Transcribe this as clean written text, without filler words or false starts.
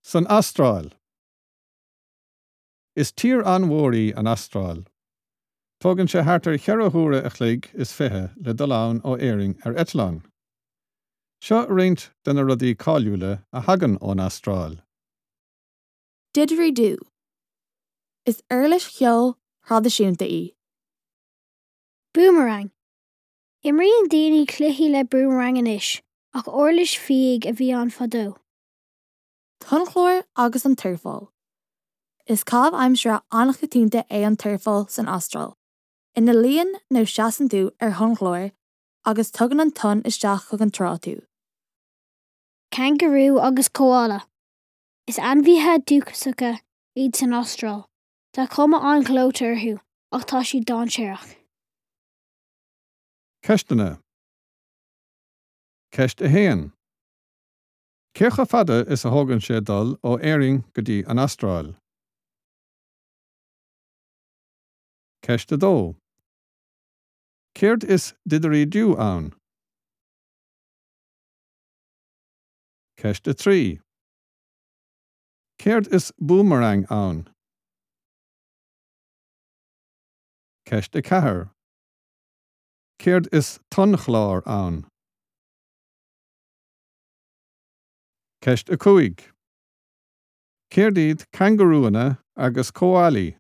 San Astráil. Is tír an-mhór í an Astráil. Tógann sé thart ar cheithre huaire a chloig is 20 le dul ann ó Éirinn ar eitleán. Seo roinnt de na rudaí cáiliúla a thagann ón Astráil. Didgeridoo. Is uirlis cheoil thraidisiúnta í. Boomerang. Imríonn daoine cluichí le boomerang anois, ach uirlis fiaigh a bhí ann fadó. Tonnchlár agus an tsurfáil. Is caitheamh aimsire an-choitianta é an tsurfáil san Astráil, ina luíonn nó seasann tú ar thonnchlár agus tugann an tonn isteach chuig an trá tú. Cangarú agus Cóálà. Is ainmhithe dúchasacha iad san Astráil. Tá cuma an-ghleoite orthu ach tá siad dainséarach. Ceisteanna. Ceist 1. Cé chomh fada is a thógann sé dul ó Éirinn go dtí an Astráil? Ceist 2. Céard is didirídiú ann? Ceist 3. Céard is búmarang ann? Ceist 4. Céard is tonnchlár ann? Ceist 5. Céard iad cangarúanna agus cóálaí?